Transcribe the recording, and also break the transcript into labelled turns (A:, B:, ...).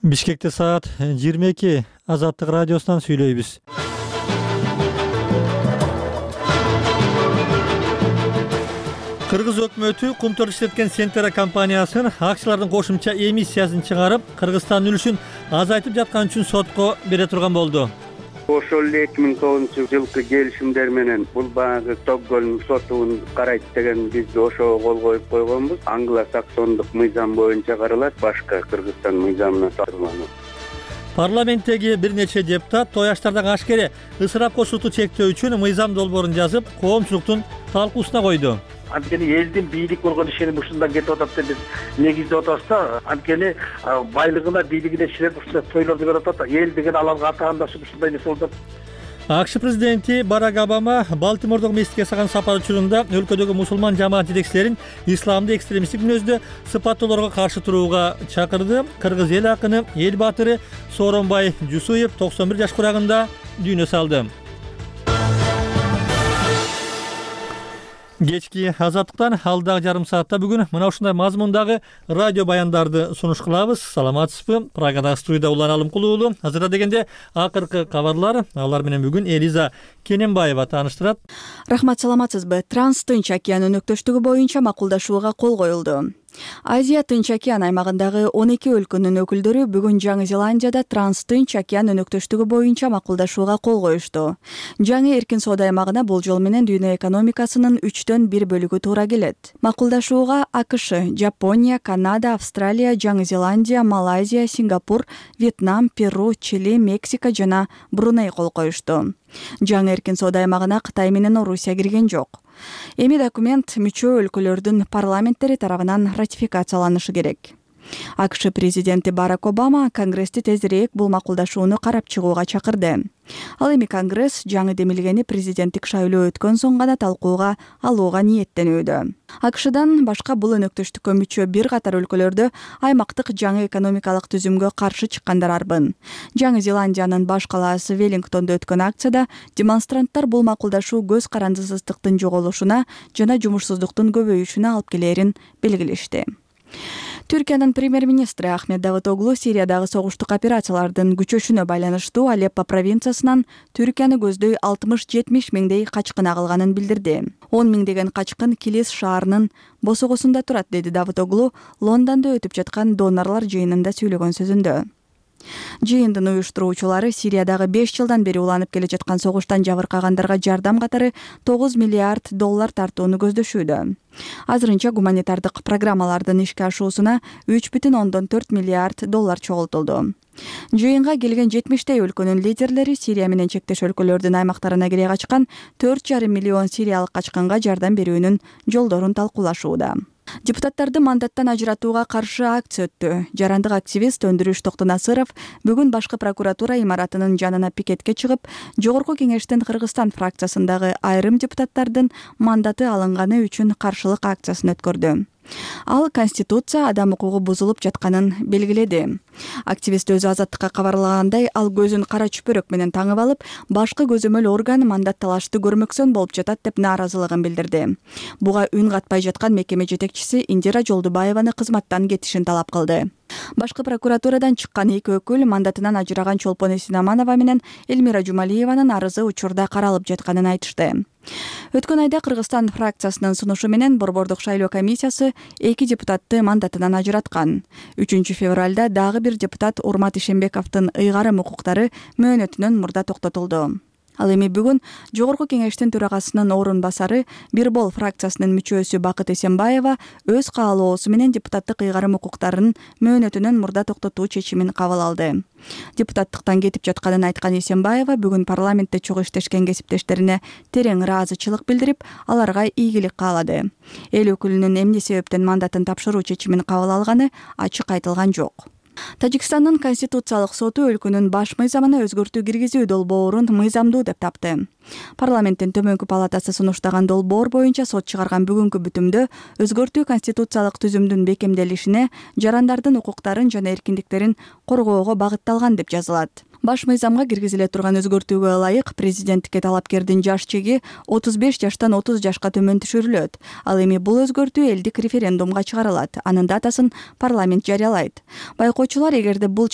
A: Бишкекте саат 22. Азаттык радиосунан сүйлөйбүз. Кыргыз өкмөтү Кумтөр иштеткен Сентера компаниясын акциялардын кошумча эмиссиясын чыгарып, Кыргызстандын үлүшүн азайтып жаткан үчүн сотко бере турган болду.
B: Ошол эле 2009-жылкы келишимдер менен бул баягы Стокгольм сотун карайт деген биз ошого кол коюп койгонбуз. Англо-саксондук мыйзам боюнча каралат, башка Кыргызстан мыйзамына тартылган.
A: Парламенттеги бир нече депутат тояштардагы ашкере ысырап кошуту чектөө үчүн мыйзам долбоорун жазып, коомчулуктун талкуусуна койду.
C: Анткени элдин бийлик болгон ишеним ушундан кетип атат деп биз негиздеп атабыз да. Анткени байлыгына, бийлигине ишенет ушундай тойлорду берип атат. Эл деген аларга атаандашып ушундай нерсе болуп атат.
A: АКШ президенти Барак Обама Балтимордогу мектепке жасаган сапар учурунда өлкөдөгү мусулман жамаат жетекчилерин исламды экстремисттик мүнөздө сыпаттоолорго каршы турууга чакырды. Кыргыз эл акыны, эл баатыры Сооронбай Жусуев 91 жаш курагында дүйнө салды. Кечки азаттыктан алдагы жарым саатта бүгүн мына ушундай мазмундагы радио баяндарды сунуш кылабыз. Саламатсызбы? Прагадагы студияда Улан Алымкулуу уулу. Азырда дегенде акыркы кабарлар. Алар менен бүгүн Элиза Кененбаева тааныштырат.
D: Рахмат, саламатсызбы? Транс-Тынч океан өнөктөштүгү боюнча макулдашууга кол коюлду. Азия Тынч океан аймагындагы 12 өлкөнүн өкүлдөрү бүгүн Жаңы Зеландияда Транс-Тынч океан өнөктөштүгү боюнча макулдашууга кол коюшту. Жаңы эркин соода аймагына бул жол менен дүйнө экономикасынын 1/3 бөлүгү туура келет. Макулдашууга АКШ, Жапония, Канада, Австралия, Жаңы Зеландия, Малайзия, Сингапур, Вьетнам, Перу, Чили, Мексика жана Бруней кол коюшту. Жаңы эркин соода аймагына Кытай менен Орусия кирген жок. Эми документ мүчө өлкөлөрдүн парламенттери тарабынан ратификацияланышы керек. АКШ президенти Барак Обама Конгрессти тезирээк бул макулдашууну карап чыгууга чакырды. Ал эми Конгресс жаңы демилгени президенттик шайлоо өткөн соң гана талкууга алууга ниеттенүүдө. АКШдан башка бул өнөктөштүккө мүчө бир катар өлкөлөрдө аймактык жаңы экономикалык түзүмгө каршы чыккандар арбын. Жаңы Зеландиянын баш калаасы Веллингтондо өткөн акцияда демонстранттар бул макулдашуу көз карандысыздыктын жоголушуна жана жумушсуздуктун көбөйүшүнө алып келерин белгилешти. Түркиянын премьер-министри Ахмет Давутоглу Сириядагы согуштук операциялардын күчөшүнө байланыштуу Алеппо провинциясынан Түркияны көздөй 60-70 миңдей качкын агылганын билдирди. 10 миңдеген качкын Килис шаарынын босогосунда турат, деди Давутоглу Лондондо өтүп жаткан донорлор жыйынында сүйлөгөн сөзүндө. Жыйындын уюштуруучулары Сириядагы 5 жылдан бери уланып келе жаткан согуштан жабыркагандарга жардам катары $9 миллиард тартууну көздөшүүдө. Азырынча гуманитардык программалардын ишке ашуусуна $3,4 миллиард чогултулду. Жыйынга келген 70 өлкөнүн лидерлери Сирия менен чектеш өлкөлөрдүн аймактарына кире качкан 4,5 миллион сириялык качкынга жардам берүүнүн жолдорун талкуулашууда. Депутаттарды мандаттан ажыратууга каршы акция өттү. Жарандык активист Өндүрүш Токтонасыров бүгүн башкы прокуратура имаратынын жанына пикетке чыгып, Жогорку кеңештин Кыргызстан фракциясындагы айрым депутаттардын мандаты алынганы үчүн каршылык акциясын өткөрдү. Ал Конституция адам укугу бузулуп жатканын белгиледи. Активист өзү Азаттыкка кабарлагандай, ал көзүн кара чүпөрөк менен таңып алып, башкы көзөмөл орган мандат талашты көрмөксөн болуп жатат деп нааразылыгын билдирди. Буга үн катпай жаткан мекеме жетекчиси Индира Жолдубаеваны кызматтан кетишин талап кылды. Башкы прокуратурадан чыккан эки өкүл мандатынан ажыраган Чолпон Эсинаманова менен Элмира Жумалиеванын арызы учурда каралып жатканын айтышты. Өткөн айда Кыргызстан фракциясынын сунушу менен Борбордук шайлоо комиссиясы 2 депутатты мандатынан ажыраткан. 3 февралда дагы бир депутат Урмат Ишембековдун ыйгарым укуктары мөөнөтүнөн мурда токтотулду. Ал эми бүгүн Жогорку кеңештин төрагасынын орун басары Бирбол фракциясынын мүчөсү Бакыт Эсенбаева өз каалоосу менен депутаттык ыйгарым укуктарын мөөнөтүнөн мурда токтотуу чечимин кабыл алды. Депутаттыктан кетип жатканын айткан Эсенбаева бүгүн парламентте чогуу иштешкен кесиптештерине терең ыраазычылык билдирип, аларга ийгилик каалады. Эл өкүлүнүн эмне себептен мандатын тапшыруу чечимин кабыл алганы ачык айтылган жок. Тажикстандын Конституциялык соту өлкөнүн баш мыйзамына өзгөртүү киргизүү долбоорун мыйзамдуу деп тапты. Парламенттин төмөнкү палатасы сунуштаган долбоор боюнча сот чыгарган бүгүнкү бүтүмдө өзгөртүү конституциялык түзүмдүн бекемделишине, жарандардын укуктарын жана эркиндиктерин коргоого багытталган деп жазылат. Баш мыйзамга киргизиле турган өзгөртүүгө ылайык президенттикке талапкердин жаш чеги 35 жаштан 30 жашка төмөн түшүрүлөт. Ал эми бул өзгөртүү элдик референдумга чыгарылат. Анын датасын парламент жарыялайт. Байкоочулар эгерде бул